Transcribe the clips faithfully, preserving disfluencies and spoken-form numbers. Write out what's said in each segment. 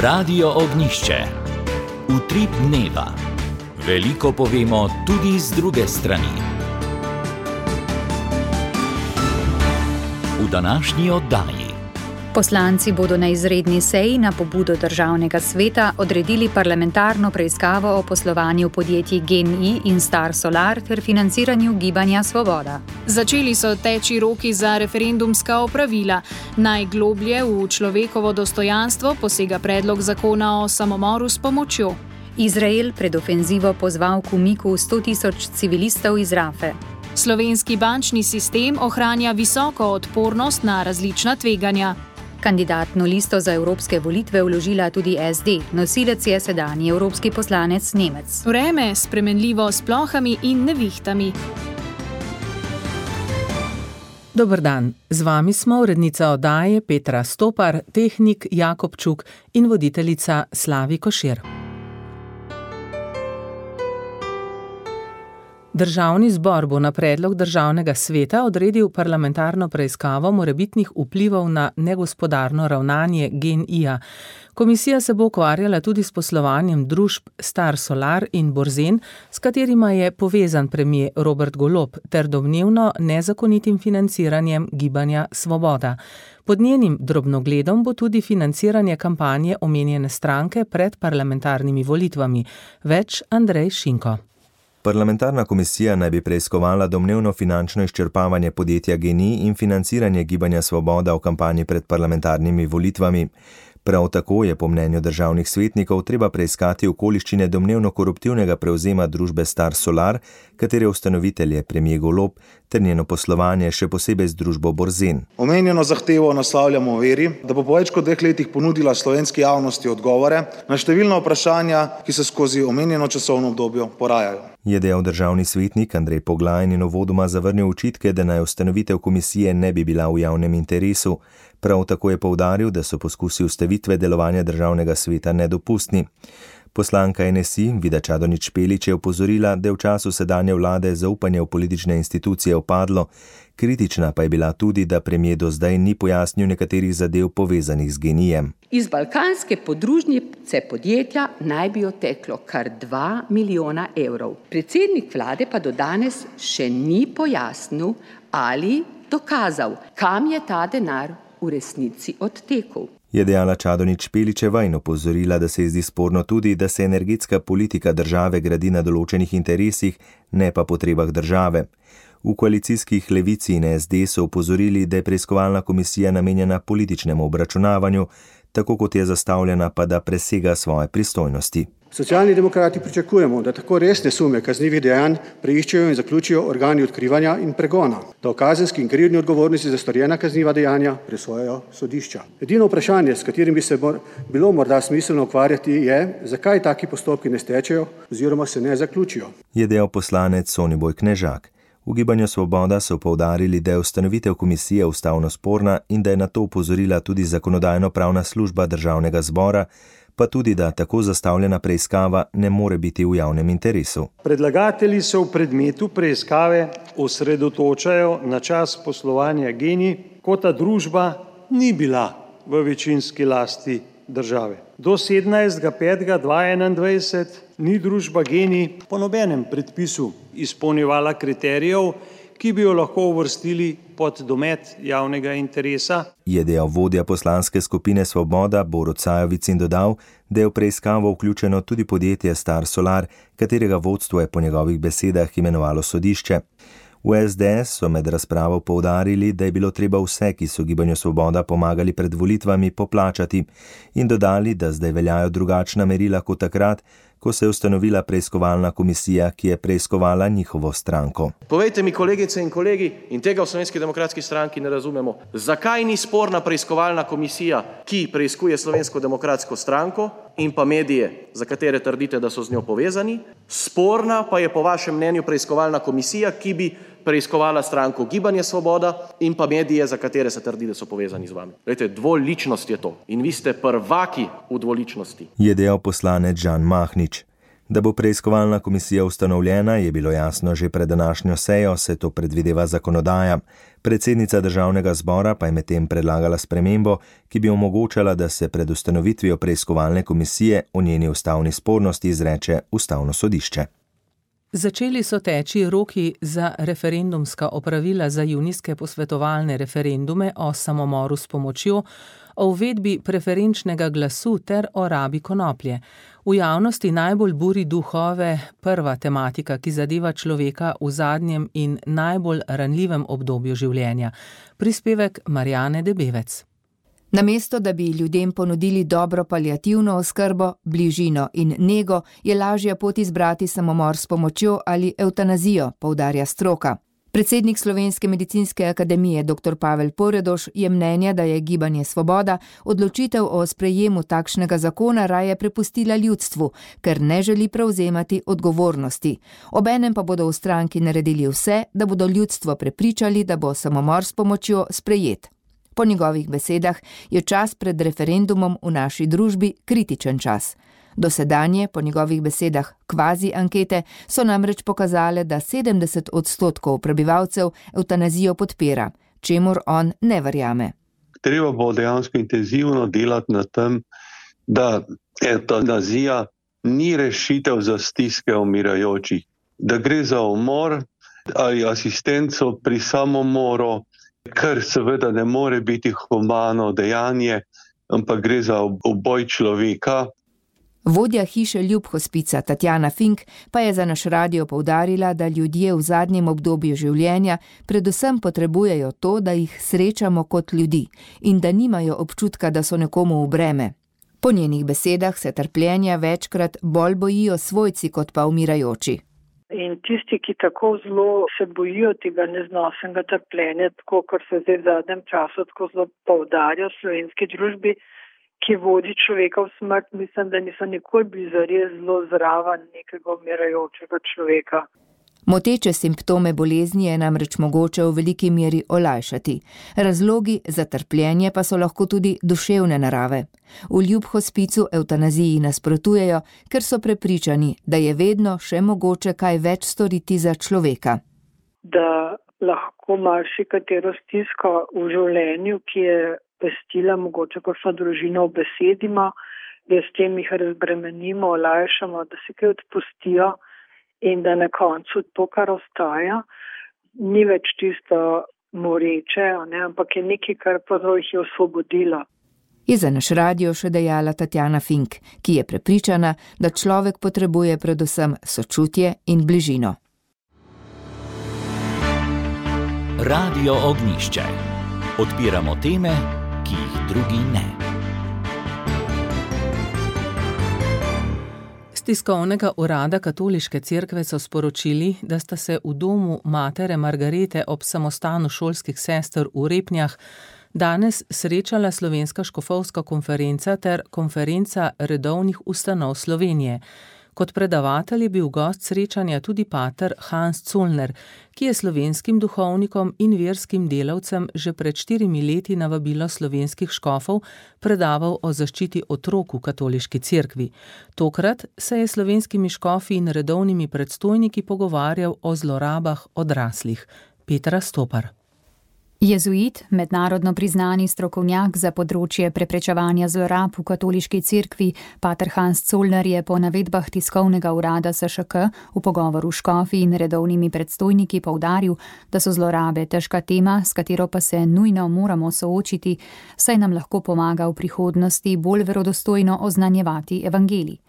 Radio Ognjišče. Utrip dneva. Veliko povemo tudi z druge strani. V današnji oddaji. Poslanci bodo na izredni seji na pobudo Državnega sveta odredili parlamentarno preiskavo o poslovanju podjetij GEN-I in Star Solar ter financiranju Gibanja Svoboda. Začeli so teči roki za referendumska opravila. Najgloblje v človekovo dostojanstvo posega predlog zakona o samomoru s pomočjo. Izrael pred ofenzivo pozval k umiku sto tisoč civilistov iz Rafe. Slovenski bančni sistem ohranja visoko odpornost na različna tveganja. Kandidatno listo za evropske volitve vložila tudi es de, nosilec je sedanji evropski poslanec Nemec. Vreme spremenljivo s plohami in nevihtami. Dober dan, z vami smo urednica oddaje Petra Stopar, tehnik Jakob Čuk in voditeljica Slavi Košir. Državni zbor bo na predlog Državnega sveta odredil parlamentarno preiskavo morebitnih vplivov na negospodarno ravnanje GEN-I-ja. Komisija se bo ukvarjala tudi s poslovanjem družb Star Solar in Borzen, s katerima je povezan premier Robert Golob, ter domnevno nezakonitim financiranjem Gibanja Svoboda. Pod njenim drobnogledom bo tudi financiranje kampanje omenjene stranke pred parlamentarnimi volitvami. Več Andrej Šinko. Parlamentarna komisija naj bi preiskovala domnevno finančno izčrpavanje podjetja GEN-I in financiranje Gibanja Svoboda v kampanji pred parlamentarnimi volitvami. Prav tako je po mnenju državnih svetnikov treba preiskati okoliščine domnevno koruptivnega prevzema družbe Star Solar, katere ustanovitelj je premier Golob, ter njeno poslovanje še posebej z družbo Borzen. Omenjeno zahtevo naslavljamo v veri, da bo po več kot dveh letih ponudila slovenski javnosti odgovore na številna vprašanja, ki se skozi omenjeno časovno obdobje porajajo. Je dejal državni svetnik Andrej Poglajn in uvodoma zavrnil očitke, da naj ustanovitev komisije ne bi bila v javnem interesu. Prav tako je poudaril, da so poskusi ustavitve delovanja državnega sveta nedopustni. Poslanka en es i Vida Čadonič Špelič je opozorila, da je v času sedanje vlade zaupanje v politične institucije upadlo. Kritična pa je bila tudi, da premier do zdaj ni pojasnil nekaterih zadev povezanih z GEN-I-jem. Iz balkanske podružnice podjetja naj bi odteklo kar dva milijona evrov. Predsednik vlade pa do danes še ni pojasnil ali dokazal, kam je ta denar v resnici odtekel. Je dejala Čadonič Špeličeva in opozorila, da se ji zdi sporno tudi, da se energetska politika države gradi na določenih interesih, ne pa potrebah države. V koalicijskih Levici in es de so opozorili, da je preiskovalna komisija namenjena političnemu obračunavanju, tako kot je zastavljena, pa da presega svoje pristojnosti. Socialni demokrati pričakujemo, da tako resne sume kaznivih dejanj preiščejo in zaključijo organi odkrivanja in pregona, da o kazenski in krivdni odgovornosti za storjena kazniva dejanja presojajo sodišča. Edino vprašanje, s katerim bi se bilo morda smiselno ukvarjati, je, zakaj taki postopki ne stečejo oziroma se ne zaključijo. Je dejal poslanec Soniboj Knežak. V Gibanju Svoboda so poudarili, da je ustanovitev komisije ustavno sporna in da je na to opozorila tudi zakonodajno-pravna služba Državnega zbora, pa tudi, da tako zastavljena preiskava ne more biti v javnem interesu. Predlagatelji se v predmetu preiskave osredotočajo na čas poslovanja GEN-I, ko ta družba ni bila v večinski lasti države. Do sedemnajstega petega dva tisoč enaindvajset ni družba GEN-I po nobenem predpisu izpolnjevala kriterijev, ki bi jo lahko uvrstili pod domet javnega interesa. Je dejal vodja poslanske skupine Svoboda Borut Sajovic in dodal, da je v preiskavo vključeno tudi podjetje Star Solar, katerega vodstvo je po njegovih besedah imenovalo sodišče. V es de es so med razpravo poudarili, da je bilo treba vse, ki so Gibanju Svoboda pomagali pred volitvami, poplačati in dodali, da zdaj veljajo drugačna merila kot takrat, ko se je ustanovila preiskovalna komisija, ki je preiskovala njihovo stranko. Povejte mi, kolegice in kolegi, in tega v Slovenski demokratski stranki ne razumemo, zakaj ni sporna preiskovalna komisija, ki preiskuje Slovensko demokratsko stranko in pa medije, za katere trdite, da so z njo povezani, sporna pa je po vašem mnenju preiskovalna komisija, ki bi preiskovala stranko Gibanje Svoboda in pa medije, za katere se trdi, da so povezani z vami. Glejte, dvoličnost je to in vi ste prvaki v dvoličnosti. Je dejal poslanec Žan Mahnič. Da bo preiskovalna komisija ustanovljena, je bilo jasno že pred današnjo sejo, se to predvideva zakonodaja. Predsednica državnega zbora pa je medtem predlagala spremembo, ki bi omogočala, da se pred ustanovitvijo preiskovalne komisije o njeni ustavni spornosti izreče ustavno sodišče. Začeli so teči roki za referendumska opravila za junijske posvetovalne referendume o samomoru s pomočjo, o uvedbi preferenčnega glasu ter o rabi konoplje. V javnosti najbolj buri duhove prva tematika, ki zadeva človeka v zadnjem in najbolj ranljivem obdobju življenja. Prispevek Marjane Debevec. Namesto, da bi ljudem ponudili dobro paliativno oskrbo, bližino in nego, je lažja pot izbrati samomor s pomočjo ali evtanazijo, poudarja stroka. Predsednik Slovenske medicinske akademije dr. Pavel Poredoš je mnenja, da je Gibanje Svoboda odločitev o sprejemu takšnega zakona raje prepustila ljudstvu, ker ne želi prevzemati odgovornosti. Obenem pa bodo v stranki naredili vse, da bodo ljudstvo prepričali, da bo samomor s pomočjo sprejet. Po njegovih besedah je čas pred referendumom v naši družbi kritičen čas. Dosedanje, po njegovih besedah, kvazi ankete so namreč pokazale, da sedemdeset odstotkov prebivalcev evtanazijo podpira, čemur on ne verjame. Treba bo dejansko intenzivno delati na tem, da evtanazija ni rešitev za stiske umirajočih, da gre za umor ali asistenco pri samomoru, kar seveda ne more biti humano dejanje, ampak gre za uboj človeka. Vodja hiše Ljub hospica Tatjana Fink pa je za naš radio poudarila, da ljudje v zadnjem obdobju življenja predvsem potrebujejo to, da jih srečamo kot ljudi in da nimajo občutka, da so nekomu v breme. Po njenih besedah se trpljenja večkrat bolj bojijo svojci kot pa umirajoči. In tisti, ki tako zelo se bojijo tega neznosnega trpljenja, tako kot se zdaj v zadnjem času tako zelo poudarja v slovenski družbi, ki vodi človeka v smrt, mislim, da niso nikoli bili zares zelo zraven nekega umirajočega človeka. Moteče simptome bolezni je namreč mogoče v veliki meri olajšati. Razlogi za trpljenje pa so lahko tudi duševne narave. V Ljub hospicu evtanaziji nasprotujejo, ker so prepričani, da je vedno še mogoče kaj več storiti za človeka. Da lahko marsikatero stisko v življenju, ki je pestila mogoče kakšno družino v besedima, da s tem jih razbremenimo, olajšamo, da se kaj odpustijo in da na koncu to, kar ostaja, ni več tisto moreče, ne, ampak je nekaj, kar prav jih je osvobodilo. Je za naš radio še dejala Tatjana Fink, ki je prepričana, da človek potrebuje predvsem sočutje in bližino. Radio Ognjišče. Odpiramo teme, ki jih drugi ne. Z tiskovnega urada Katoliške cerkve so sporočili, da sta se v domu matere Margarete ob samostanu šolskih sester v Repnjah danes srečala Slovenska škofovska konferenca ter konferenca redovnih ustanov Slovenije. Kot predavatelj je bil gost srečanja tudi pater Hans Zollner, ki je slovenskim duhovnikom in verskim delavcem že pred štirimi leti na vabilo slovenskih škofov predaval o zaščiti otrok v katoliški cerkvi. Tokrat se je slovenskimi škofi in redovnimi predstojniki pogovarjal o zlorabah odraslih. Petra Stopar. Jezuit, mednarodno priznani strokovnjak za področje preprečevanja zlorab v katoliški cerkvi, pater Hans Zollner je po navedbah tiskovnega urada S Š K v pogovoru s škofi in redovnimi predstojniki poudaril, da so zlorabe težka tema, s katero pa se nujno moramo soočiti, saj nam lahko pomaga v prihodnosti bolj verodostojno oznanjevati evangelij.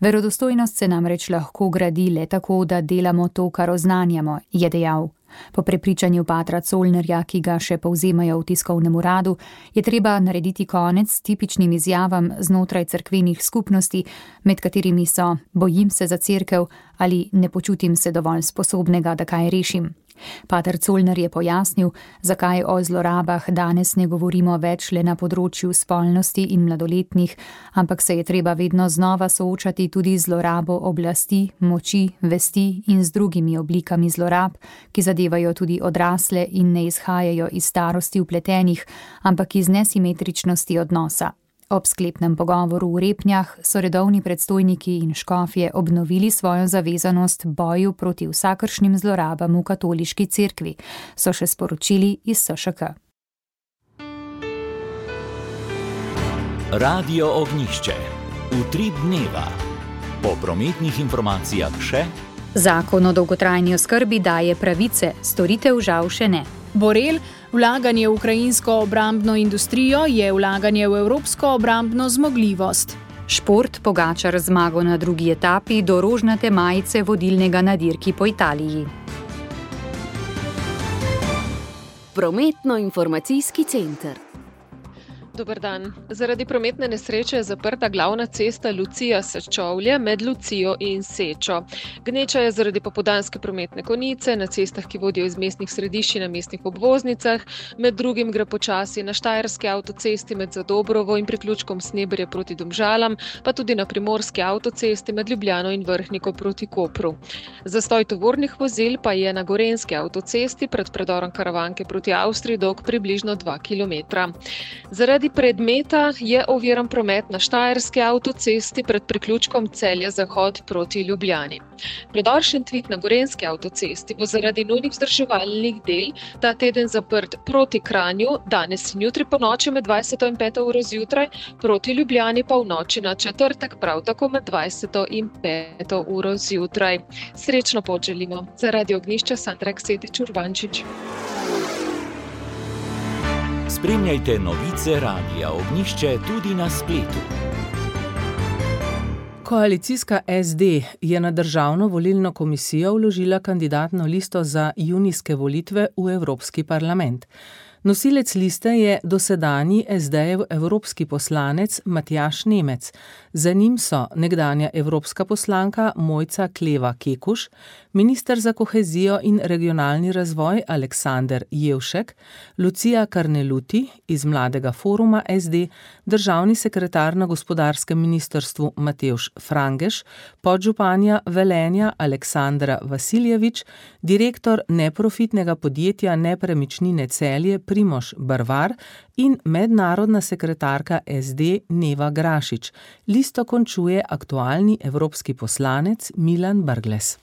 Verodostojnost se namreč lahko gradi le tako, da delamo to, kar oznanjamo, je dejal. Po prepričanju patra Zollnerja, ki ga še povzemajo v tiskovnem uradu, je treba narediti konec tipičnim izjavam znotraj cerkvenih skupnosti, med katerimi so bojim se za cerkev ali ne počutim se dovolj sposobnega, da kaj rešim. Pater Zollner je pojasnil, zakaj o zlorabah danes ne govorimo več le na področju spolnosti in mladoletnih, ampak se je treba vedno znova soočati tudi z zlorabo oblasti, moči, vesti in z drugimi oblikami zlorab, ki zadevajo tudi odrasle in ne izhajajo iz starosti vpletenih, ampak iz nesimetričnosti odnosa. Ob sklepnem pogovoru v Repnjah so redovni predstojniki in škofje obnovili svojo zavezanost boju proti vsakršnim zlorabam v katoliški cerkvi, so še sporočili iz S Š K. Radio Ognjišče. Utrip dneva. Po prometnih informacijah še: Zakon o dolgotrajni oskrbi daje pravice, storitev žal še ne. Borel, vlaganje v ukrajinsko obrambno industrijo je vlaganje v evropsko obrambno zmogljivost. Šport, Pogačar zmago na drugi etapi do rožnate majice vodilnega na dirki po Italiji. Prometno-informacijski center. Dober dan. Zaradi prometne nesreče je zaprta glavna cesta Lucija-Sečovlje med Lucijo in Sečo. Gneča je zaradi popoldanske prometne konice na cestah, ki vodijo iz mestnih središč na mestnih obvoznicah. Med drugim gre počasi na Štajerski avtocesti med Zadobrovo in priključkom Sneberje proti Domžalam, pa tudi na Primorski avtocesti med Ljubljano in Vrhniko proti Kopru. Zastoj tovornih vozil pa je na Gorenjski avtocesti pred predorom Karavanke proti Avstriji dolg približno dva kilometra. Zaradi predmeta je oviran promet na Štajerski avtocesti pred priključkom Celje-Zahod proti Ljubljani. Predor Šentvid na Gorenjski avtocesti bo zaradi nujnih vzdrževalnih del ta teden zaprt proti Kranju, danes in jutri po noči med dvajseto in peto uro zjutraj, proti Ljubljani pa v noči na četrtek prav tako med dvajseto in peto uro zjutraj. Srečno pot želimo. Za Radio Ognjišče Sandra Ksetič Urbančič. Spremljajte novice Radia Ognjišče tudi na spletu. Koalicijska S D je na Državno volilno komisijo vložila kandidatno listo za junijske volitve v Evropski parlament. Nosilec liste je dosedanji S D-jev evropski poslanec Matjaž Nemec. Za njim so nekdanja evropska poslanka Mojca Kleva Kekuš, minister za kohezijo in regionalni razvoj Aleksander Jevšek, Lucija Karneluti iz Mladega foruma S D, državni sekretar na gospodarskem ministrstvu Matevž Frangeš, podžupanja Velenja Aleksandra Vasiljevič, direktor neprofitnega podjetja Nepremičnine Celje Primož Barvar in mednarodna sekretarka S D Neva Grašič. Listo končuje aktualni evropski poslanec Milan Brglez.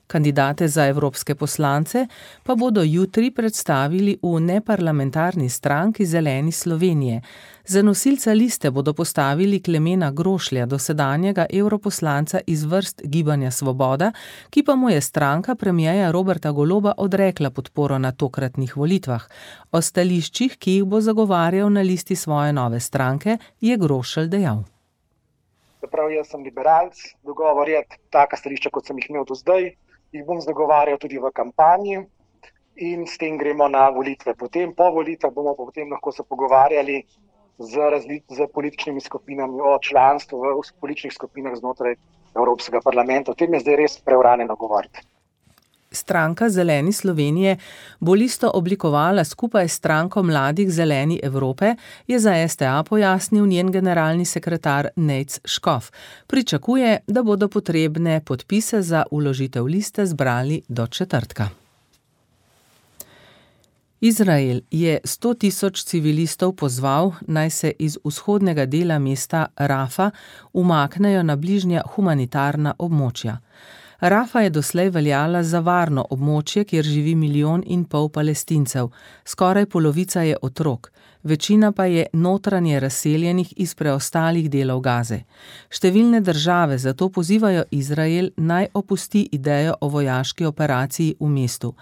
Kandidate za evropske poslance pa bodo jutri predstavili v neparlamentarni stranki Zeleni Slovenije. Za nosilca liste bodo postavili Klemena Grošlja, dosedanjega evroposlanca iz vrst Gibanja Svoboda, ki pa mu je stranka premierja Roberta Goloba odrekla podporo na tokratnih volitvah. O stališčih, ki jih bo zagovarjal na listi svoje nove stranke, je Grošelj dejal. Prav, jaz sem liberalc, dogovor je taka stališča, kot sem jih imel do zdaj. Jih bom zagovarjal tudi v kampanji in s tem gremo na volitve. Potem, po volitvah bomo potem lahko se pogovarjali z, razli, z političnimi skupinami o članstvu v političnih skupinah znotraj Evropskega parlamenta. O tem je zdaj res preuranjeno govoriti. Stranka Zeleni Slovenije bo listo oblikovala skupaj s stranko Mladih Zeleni Evrope, je za S T A pojasnil njen generalni sekretar Nejc Škof. Pričakuje, da bodo potrebne podpise za vložitev liste zbrali do četrtka. Izrael je sto tisoč civilistov pozval, naj se iz vzhodnega dela mesta Rafa umaknejo na bližnja humanitarna območja. Rafa je doslej veljala za varno območje, kjer živi milijon in pol Palestincev. Skoraj polovica je otrok, večina pa je notranje razseljenih iz preostalih delov Gaze. Številne države zato pozivajo Izrael naj opusti idejo o vojaški operaciji v mestu.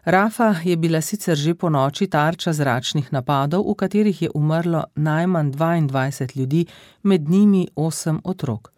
Rafa je bila sicer že po noči tarča zračnih napadov, v katerih je umrlo najmanj dvaindvajset ljudi, med njimi osem otrok.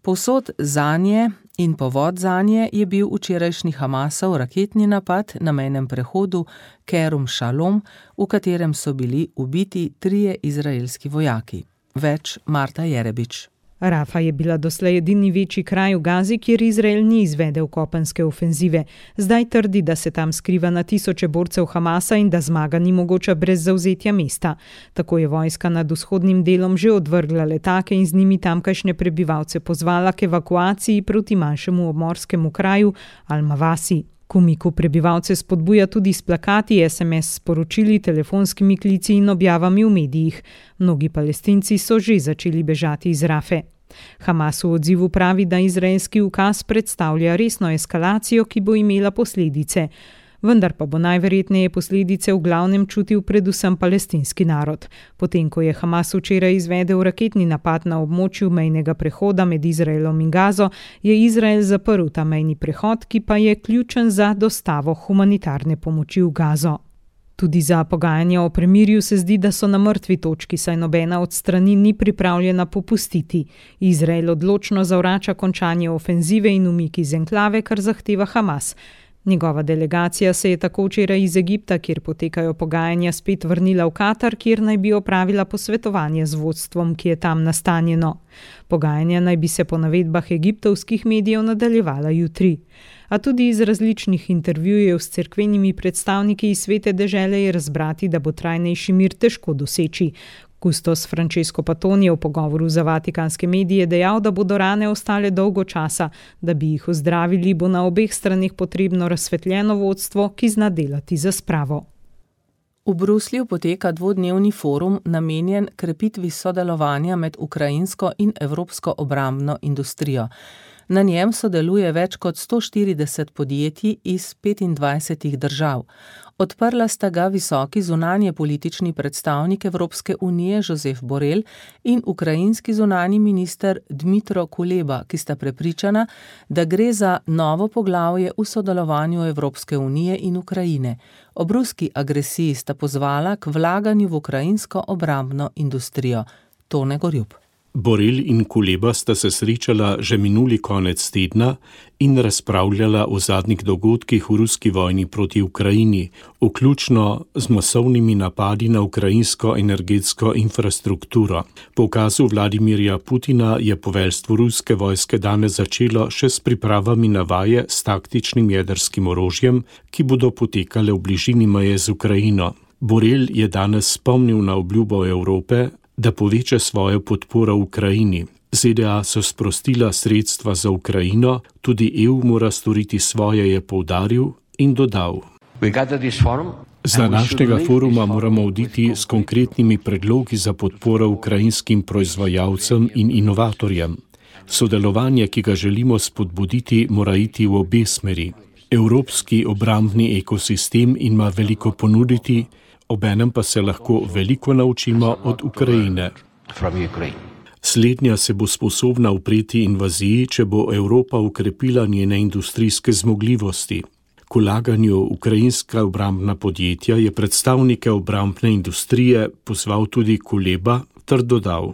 Povsod zanje in povod zanje je bil včerajšnji Hamasov raketni napad na mejnem prehodu Kerum Shalom, v katerem so bili ubiti trije izraelski vojaki. Več Marta Jerebič. Rafa je bila doslej edini večji kraj v Gazi, kjer Izrael ni izvedel kopenske ofenzive. Zdaj trdi, da se tam skriva na tisoče borcev Hamasa in da zmaga ni mogoča brez zavzetja mesta. Tako je vojska nad vzhodnim delom že odvrgla letake in z njimi tamkajšnje prebivalce pozvala k evakuaciji proti manjšemu obmorskemu kraju Al-Mawasi. K umiku prebivalce spodbuja tudi s plakati, es em es sporočili, telefonskimi klici in objavami v medijih. Mnogi Palestinci so že začeli bežati iz Rafe. Hamas v odzivu pravi, da izraelski ukaz predstavlja resno eskalacijo, ki bo imela posledice. Vendar pa bo najverjetneje posledice v glavnem čutil predvsem palestinski narod. Potem, ko je Hamas včeraj izvedel raketni napad na območju mejnega prehoda med Izraelom in Gazo, je Izrael zaprl ta mejni prehod, ki pa je ključen za dostavo humanitarne pomoči v Gazo. Tudi za pogajanja o premirju se zdi, da so na mrtvi točki, saj nobena od strani ni pripravljena popustiti. Izrael odločno zavrača končanje ofenzive in umik iz enklave, kar zahteva Hamas. Njegova delegacija se je tako včeraj iz Egipta, kjer potekajo pogajanja, spet vrnila v Katar, kjer naj bi opravila posvetovanje z vodstvom, ki je tam nastanjeno. Pogajanja naj bi se po navedbah egiptovskih medijev nadaljevala jutri. A tudi iz različnih intervjujev s cerkvenimi predstavniki iz svete dežele je razbrati, da bo trajnejši mir težko doseči. Kustos Francesco Patton je v pogovoru za vatikanske medije dejal, da bodo rane ostale dolgo časa. Da bi jih ozdravili, bo na obeh straneh potrebno razsvetljeno vodstvo, ki zna delati za spravo. V Bruslju poteka dvodnevni forum namenjen krepitvi sodelovanja med ukrajinsko in evropsko obrambno industrijo. Na njem sodeluje več kot sto štirideset podjetij iz petindvajsetih držav. Odprla sta ga visoki zunanje politični predstavnik Evropske unije Josep Borrell in ukrajinski zunanji minister Dmytro Kuleba, ki sta prepričana, da gre za novo poglavje v sodelovanju Evropske unije in Ukrajine. Ob ruski agresiji sta pozvala k vlaganju v ukrajinsko obrambno industrijo. Tone Gorjup. Borrell in Kuleba sta se srečala že minuli konec tedna in razpravljala o zadnjih dogodkih v ruski vojni proti Ukrajini, vključno z masovnimi napadi na ukrajinsko energetsko infrastrukturo. Po ukazu Vladimirja Putina je poveljstvo ruske vojske danes začelo še s pripravami na vaje s taktičnim jedrskim orožjem, ki bodo potekale v bližini meje z Ukrajino. Borrell je danes spomnil na obljubo Evrope, da poveča svojo podporo Ukrajini. Z de a so sprostila sredstva za Ukrajino, tudi E U mora storiti svoje, je poudaril in dodal. Z današnjega foruma moramo oditi s konkretnimi predlogi za podporo ukrajinskim proizvajalcem in inovatorjem. Sodelovanje, ki ga želimo spodbuditi, mora iti v obe smeri. Evropski obrambni ekosistem ima veliko ponuditi, obenem pa se lahko veliko naučimo od Ukrajine. Slednja se bo sposobna upreti invaziji, če bo Evropa ukrepila njene industrijske zmogljivosti. K vlaganju ukrajinska obrambna podjetja je predstavnike obrambne industrije pozval tudi Kuleba ter dodal.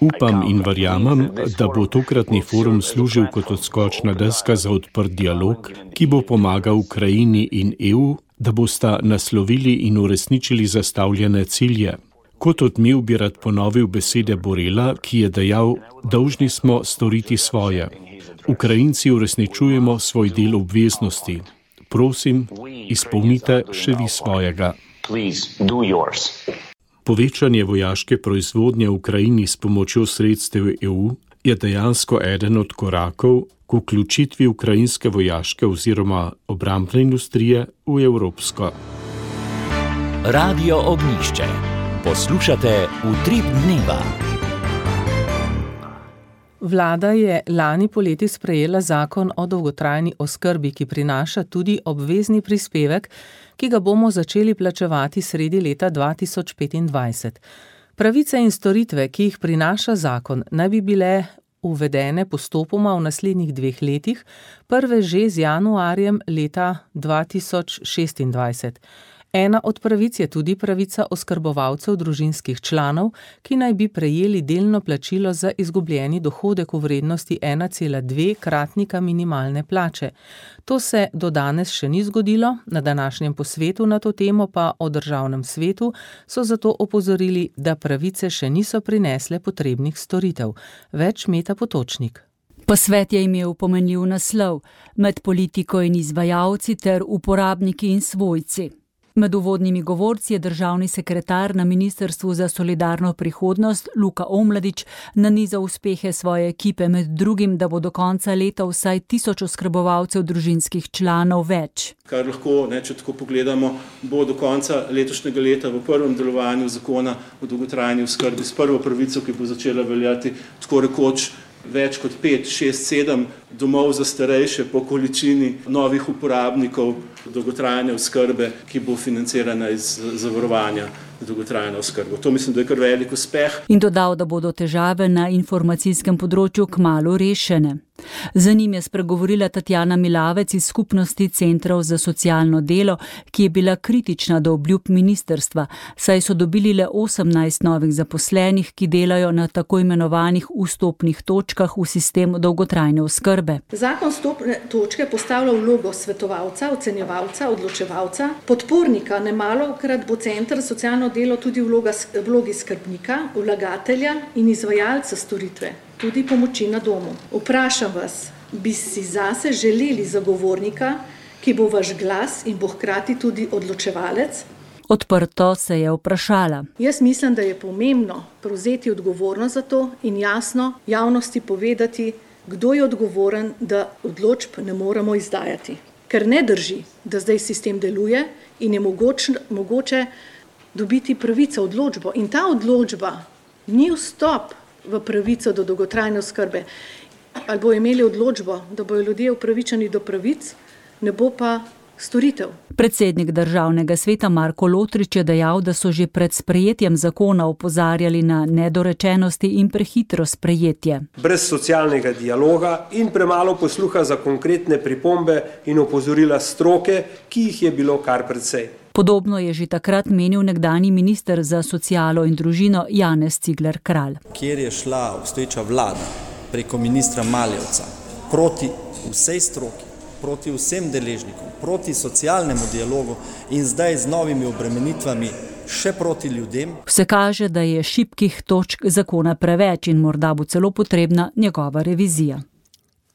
Upam in verjamem, da bo tokratni forum služil kot odskočna deska za odprt dialog, ki bo pomagal Ukrajini in E U, da bosta naslovili in uresničili zastavljene cilje. Kot odmev bi rad ponovil besede Borrella, ki je dejal, dolžni smo storiti svoje. Ukrajinci uresničujemo svoj del obveznosti. Prosim, izpolnite še vi svojega. Povečanje vojaške proizvodnje v Ukrajini s pomočjo sredstev E U je dejansko eden od korakov k vključitvi ukrajinske vojaške oziroma obrambne industrije v evropsko. Radio Ognjišče. Poslušate Utrip dneva. Vlada je lani poleti sprejela zakon o dolgotrajni oskrbi, ki prinaša tudi obvezni prispevek, ki ga bomo začeli plačevati sredi leta dva tisoč petindvajset. Pravice in storitve, ki jih prinaša zakon, naj bi bile uvedene postopoma v naslednjih dveh letih, prve že z januarjem leta dva tisoč šestindvajset. Ena od pravic je tudi pravica oskrbovalcev družinskih članov, ki naj bi prejeli delno plačilo za izgubljeni dohodek v vrednosti ena cela dve kratnika minimalne plače. To se do danes še ni zgodilo, na današnjem posvetu na to temo pa o državnem svetu so zato opozorili, da pravice še niso prinesle potrebnih storitev. Več Meta Potočnik. Posvet je imel pomenljiv naslov med politiko in izvajalci ter uporabniki in svojci. Med uvodnimi govorci je državni sekretar na Ministrstvu za solidarno prihodnost Luka Omladič nanizal uspehe svoje ekipe, med drugim, da bo do konca leta vsaj tisoč oskrbovalcev družinskih članov več. Kar lahko, ne, če tako pogledamo, bo do konca letošnjega leta v prvem delovanju zakona o dolgotrajni oskrbi s prvo pravico, ki bo začela veljati tako rekoč več kot pet, šest, sedem domov za starejše po količini novih uporabnikov dolgotrajne oskrbe, ki bo financirana iz zavarovanja dolgotrajne oskrbe. To mislim, da je kar velik uspeh. In dodal, da bodo težave na informacijskem področju kmalu rešene. Za njim je spregovorila Tatjana Milavec iz skupnosti centrov za socialno delo, ki je bila kritična do obljub ministrstva, saj so dobili le osemnajst novih zaposlenih, ki delajo na tako imenovanih vstopnih točkah v sistem dolgotrajne oskrbe. Zakon vstopne točke postavlja vlogo svetovalca, ocenjevalca, odločevalca, podpornika, nemalokrat bo center za socialno delo tudi vloga, vlogi skrbnika, vlagatelja in izvajalca storitve, tudi pomoči na domu. Vprašam vas, bi si zase želeli zagovornika, ki bo vaš glas in bo hkrati tudi odločevalec? Odprto se je vprašala. Jaz mislim, da je pomembno prevzeti odgovornost za to in jasno javnosti povedati, kdo je odgovoren, da odločb ne moremo izdajati. Ker ne drži, da zdaj sistem deluje in je mogoče, mogoče dobiti pravico odločbo. In ta odločba ni vstop v pravico do dolgotrajne oskrbe. Ali bo imeli odločbo, da bojo ljudje upravičeni do pravic, ne bo pa storitev. Predsednik državnega sveta Marko Lotrič je dejal, da so že pred sprejetjem zakona opozarjali na nedorečenosti in prehitro sprejetje. Brez socialnega dialoga in premalo posluha za konkretne pripombe in opozorila stroke, ki jih je bilo kar precej. Podobno je že takrat menil nekdanji minister za socialo in družino Janez Cigler Kralj. Kjer je šla obstoječa vlada preko ministra Maljevca proti vsej stroki, proti vsem deležnikom, proti socialnemu dialogu in zdaj z novimi obremenitvami še proti ljudem. Vse kaže, da je šibkih točk zakona preveč in morda bo celo potrebna njegova revizija.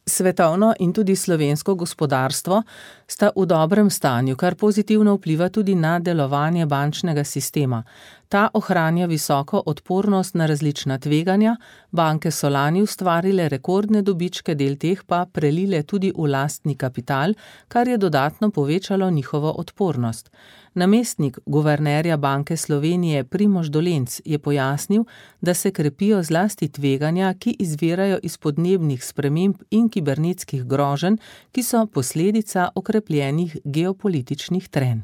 Svetovno in tudi slovensko gospodarstvo sta v dobrem stanju, kar pozitivno vpliva tudi na delovanje bančnega sistema. Ta ohranja visoko odpornost na različna tveganja, banke so lani ustvarile rekordne dobičke, del teh pa prelile tudi v lastni kapital, kar je dodatno povečalo njihovo odpornost. Namestnik guvernerja Banke Slovenije Primož Dolenc je pojasnil, da se krepijo zlasti tveganja, ki izvirajo iz podnebnih sprememb in kibernetskih groženj, ki so posledica okrepljenih geopolitičnih trenj.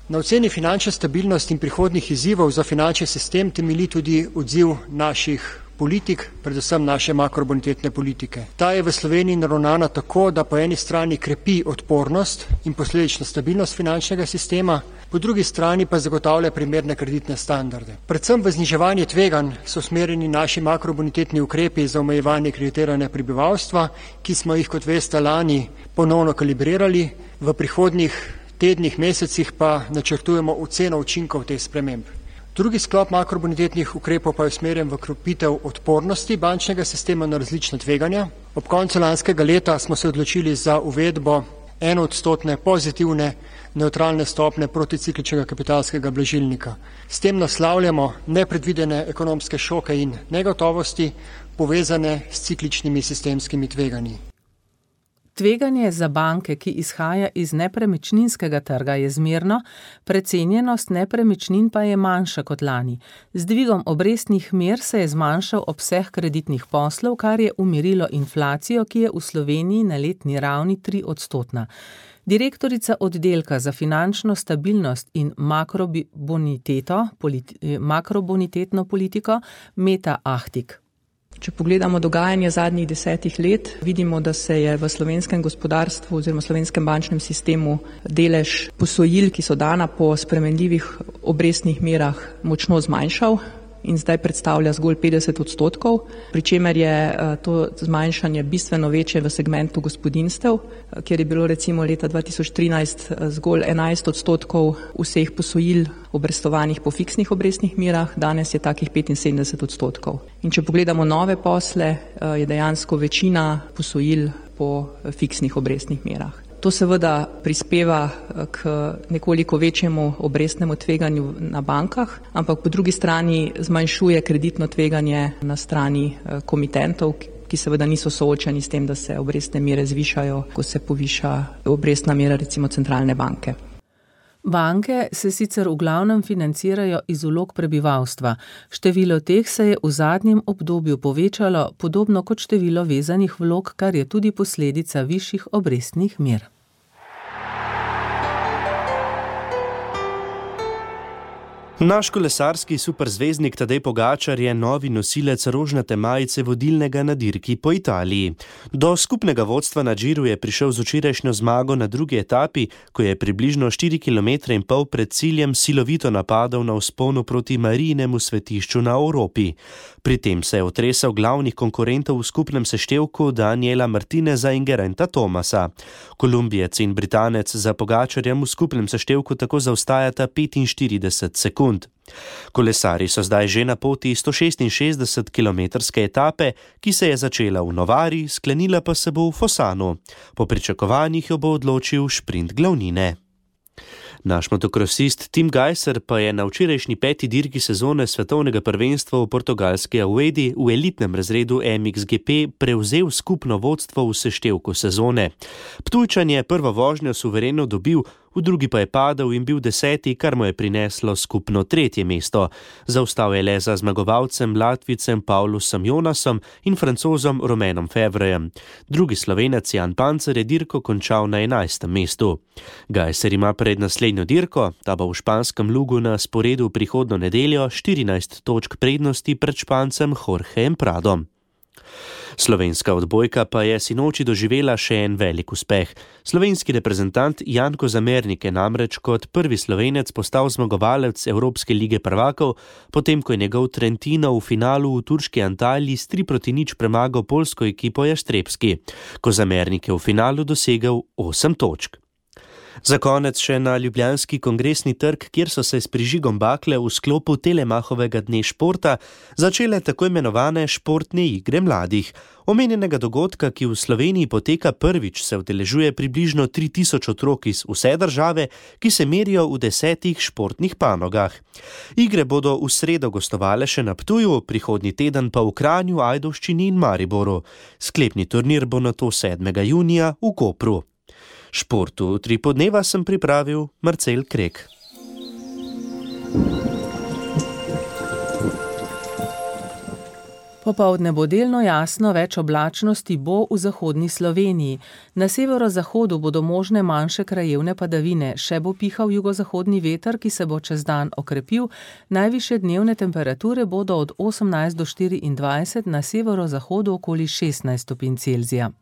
Na oceni finančne stabilnosti in prihodnjih izzivov za finančni sistem temelji tudi odziv naših politik, predvsem naše makrobonitetne politike. Ta je v Sloveniji naravnana tako, da po eni strani krepi odpornost in posledično stabilnost finančnega sistema, po drugi strani pa zagotavlja primerne kreditne standarde. Predvsem v zniževanje tveganj so usmerjeni naši makrobonitetni ukrepi za omejevanje kreditiranja prebivalstva, ki smo jih, kot veste, lani ponovno kalibrirali, v prihodnjih tednih, mesecih pa načrtujemo oceno učinkov teh sprememb. Drugi sklop makrobonitetnih ukrepov pa je usmerjen v krepitev odpornosti bančnega sistema na različna tveganja. Ob koncu lanskega leta smo se odločili za uvedbo enoodstotne pozitivne nevtralne stopnje proticikličnega kapitalskega blažilnika. S tem naslavljamo nepredvidene ekonomske šoke in negotovosti, povezane s cikličnimi sistemskimi tveganji. Tveganje za banke, ki izhaja iz nepremičninskega trga, je zmerno, precenjenost nepremičnin pa je manjša kot lani. Z dvigom obrestnih mer se je zmanjšal obseg kreditnih poslov, kar je umirilo inflacijo, ki je v Sloveniji na letni ravni tri odstotna. Direktorica oddelka za finančno stabilnost in makroboniteto, politi, makrobonitetno politiko Meta Ahtik. Če pogledamo dogajanje zadnjih desetih let, vidimo, da se je v slovenskem gospodarstvu oziroma slovenskem bančnem sistemu delež posojil, ki so dana po spremenljivih obrestnih merah, močno zmanjšal in zdaj predstavlja zgolj petdeset odstotkov, pri čemer je to zmanjšanje bistveno večje v segmentu gospodinjstev, kjer je bilo recimo leta dva tisoč trinajst zgolj enajst odstotkov vseh posojil obrestovanih po fiksnih obrestnih merah, danes je takih petinsedemdeset odstotkov. In če pogledamo nove posle, je dejansko večina posojil po fiksnih obrestnih merah. To seveda prispeva k nekoliko večjemu obrestnemu tveganju na bankah, ampak po drugi strani zmanjšuje kreditno tveganje na strani komitentov, ki seveda niso soočeni s tem, da se obrestne mere zvišajo, ko se poviša obrestna mera recimo centralne banke. Banke se sicer v glavnem financirajo iz vlog prebivalstva. Število teh se je v zadnjem obdobju povečalo, podobno kot število vezanih vlog, kar je tudi posledica višjih obrestnih mer. Naš kolesarski superzvezdnik Tadej Pogačar je novi nosilec rožnate majice vodilnega na dirki po Italiji. Do skupnega vodstva na Giru je prišel z včerajšnjo zmago na drugi etapi, ko je približno štiri kilometre in pol pred ciljem silovito napadal na vzponu proti Marijinemu svetišču na Evropi. Pri tem se je otresal glavnih konkurentov v skupnem seštevku Daniela Martineza in Gerainta Thomasa. Kolumbijec in Britanec za Pogačarjem v skupnem seštevku tako zaostajata petinštirideset sekund. Kolesarji so zdaj že na poti sto šestinšestdesetkilometrske etape, ki se je začela v Novari, sklenila pa se bo v Fosanu. Po pričakovanjih jo bo odločil šprint glavnine. Naš motokrosist Tim Gajser pa je na včerajšnji peti dirki sezone svetovnega prvenstva v portugalski Audi v elitnem razredu M X G P prevzel skupno vodstvo v seštevku sezone. Ptujčan je prvo vožnjo suvereno dobil, v drugi pa je padel in bil deseti, kar mu je prineslo skupno tretje mesto. Zaostal je le za zmagovalcem Latvicem Paulusom Jonasom in Francozom Romanom Fevrejem. Drugi Slovenec Jan Pancer je dirko končal na enajstem mestu. Gajser ima pred naslednjo dirko, ta bo v španskem Lugu na sporedu prihodno nedeljo, štirinajst točk prednosti pred Špancem Jorgejem Pradom. Slovenska odbojka pa je sinoči doživela še en velik uspeh. Slovenski reprezentant Jan Kozamernik je namreč kot prvi Slovenec postal zmagovalec Evropske lige prvakov, potem ko je njegov Trentino v finalu v turški Antaliji s tri proti nič premagal poljsko ekipo Jaštrebski. Kozamernik je v finalu dosegel osem točk. Za konec še na ljubljanski kongresni trg, kjer so se s prižigom bakle v sklopu Telemahovega dne športa začele tako imenovane športne igre mladih. Omenjenega dogodka, ki v Sloveniji poteka prvič, se udeležuje približno tri tisoč otrok iz vse države, ki se merijo v desetih športnih panogah. Igre bodo v sredo gostovale še na Ptuju, prihodnji teden pa v Kranju, Ajdovščini in Mariboru. Sklepni turnir bo nato sedmega junija v Kopru. Športu tri podneva sem pripravil Marcel Krek. Popoldne bo delno jasno, več oblačnosti bo v zahodni Sloveniji. Na severozahodu bodo možne manjše krajevne padavine, še bo pihal jugozahodni veter, ki se bo čez dan okrepil. Najvišje dnevne temperature bodo od osemnajst do štiriindvajset, na severozahodu okoli šestnajst stopinj Celzija.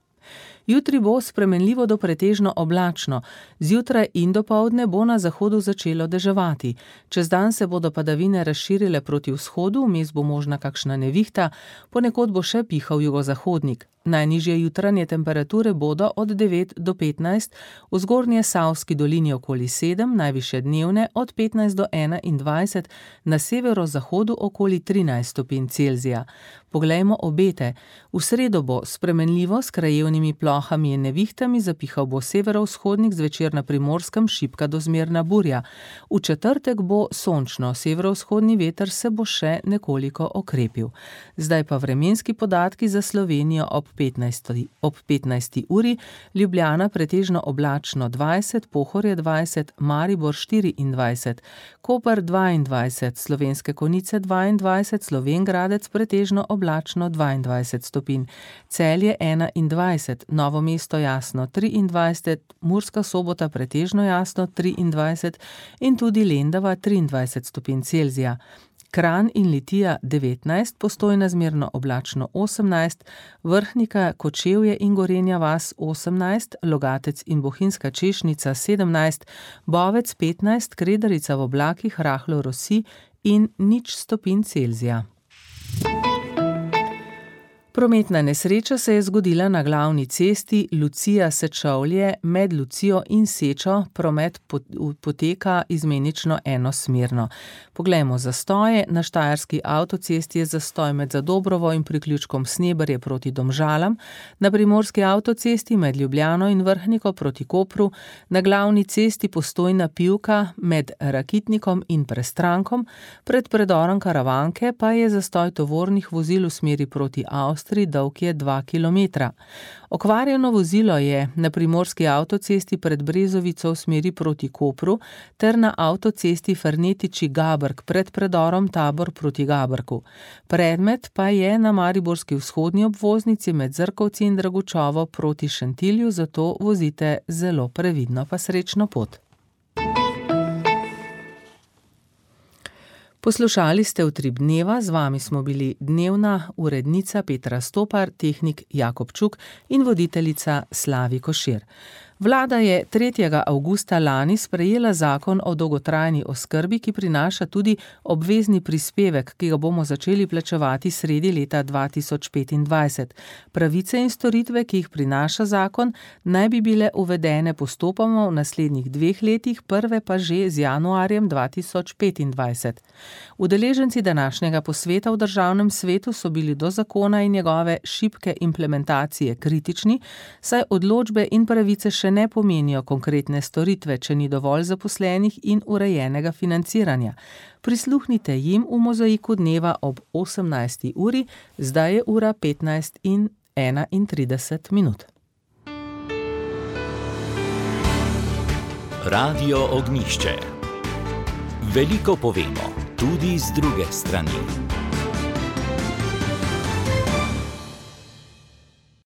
Jutri bo spremenljivo do pretežno oblačno, zjutraj in dopoldne bo na zahodu začelo deževati. Čez dan se bodo padavine razširile proti vzhodu, vmes bo možna kakšna nevihta, ponekod bo še pihal jugozahodnik. Najnižje jutranje temperature bodo od devet do petnajst, v zgornje Savski dolini okoli sedem, najvišje dnevne od petnajst do enaindvajset, na severozahodu okoli trinajst stopinj Celzija. Poglejmo obete. V sredo bo spremenljivo s krajevnimi plohami in nevihtami, zapihal bo severovzhodnik, zvečer na Primorskem šibka do zmerna burja. V četrtek bo sončno, severovzhodni veter se bo še nekoliko okrepil. Zdaj pa vremenski podatki za Slovenijo ob petnajsti, ob petnajsti uri, Ljubljana pretežno oblačno dvajset, Pohorje dvajset, Maribor štiriindvajset, Koper dvaindvajset, Slovenske Konjice dvaindvajset, Slovenj Gradec pretežno oblačno dvaindvajset stopinj, Celje enaindvajset, Novo mesto jasno triindvajset, Murska Sobota pretežno jasno triindvajset in tudi Lendava triindvajset stopinj Celzija. Kranj in Litija devetnajst, Postojna zmerno oblačno osemnajst, Vrhnika, Kočevje in Gorenja vas osemnajst, Logatec in Bohinjska Češnica sedemnajst, Bovec petnajst, Kredarica v oblakih rahlo rosi in nič stopinj Celzija. Prometna nesreča se je zgodila na glavni cesti Lucija-Sečovlje med Lucijo in Sečo. Promet poteka izmenično enosmerno. Poglejmo zastoje. Na štajerski avtocesti je zastoj med Zadobrovo in priključkom Sneberje proti Domžalam, na primorski avtocesti med Ljubljano in Vrhniko proti Kopru, na glavni cesti Postojna Pivka med Rakitnikom in Prestrankom, pred predorom Karavanke pa je zastoj tovornih vozil v smeri proti Avstriji, dolg je dva kilometra. Okvarjeno vozilo je na primorski avtocesti pred Brezovico v smeri proti Kopru ter na avtocesti Fernetiči-Gabrk pred predorom Tabor proti Gabrku. Predmet pa je na mariborski vzhodni obvoznici med Zrkovci in Dragučovo proti Šentilju, zato vozite zelo previdno, pa srečno pot. Poslušali ste Utrip dneva, z vami smo bili dnevna urednica Petra Stopar, tehnik Jakob Čuk in voditeljica Slavi Košir. Vlada je tretjega avgusta lani sprejela zakon o dolgotrajni oskrbi, ki prinaša tudi obvezni prispevek, ki ga bomo začeli plačevati sredi leta dva tisoč petindvajset. Pravice in storitve, ki jih prinaša zakon, naj bi bile uvedene postopoma v naslednjih dveh letih, prve pa že z januarjem dva tisoč petindvajset. Udeleženci današnjega posveta v državnem svetu so bili do zakona in njegove šibke implementacije kritični, saj odločbe in pravice še ne pomenijo konkretne storitve, če ni dovolj zaposlenih in urejenega financiranja. Prisluhnite jim v Mozaiku dneva ob osemnajsti uri, zdaj je ura petnajst in enaintrideset minut. Radio Ognjišče. Veliko povemo, tudi z druge strani.